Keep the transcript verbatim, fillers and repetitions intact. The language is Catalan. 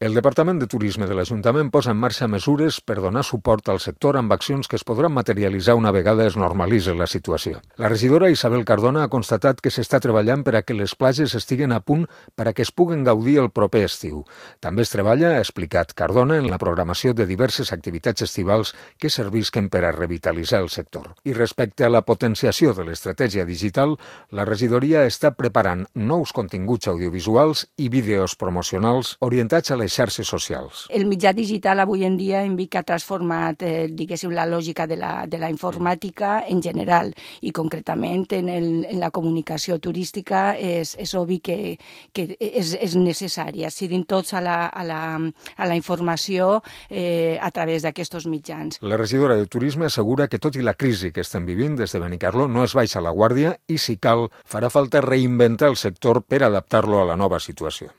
El Departament de Turisme de l'Ajuntament posa en marxa mesures per donar suport al sector amb accions que es podran materialitzar una vegada es normalitzi la situació. La regidora Isabel Cardona ha constatat que s'està treballant per a que les platges estiguen a punt per a que es puguen gaudir el proper estiu. També es treballa, ha explicat Cardona, en la programació de diverses activitats estivals que servisquen per a revitalitzar el sector. I respecte a la potenciació de l'estratègia digital, la regidoria està preparant nous continguts audiovisuals i vídeos promocionals orientats a les xarxes socials. El mitjà digital avui en dia en Vic ha transformat, eh, diguéssim, la lògica de la, de la informàtica en general i concretament en, el, en la comunicació turística és, és obvi que, que és, és necessari. Accedim tots a la, a la, a la informació eh, a través d'aquests mitjans. La regidora de Turisme assegura que tot i la crisi que estem vivint des de Benicarló no es baixa la guàrdia i, si cal, farà falta reinventar el sector per adaptar-lo a la nova situació.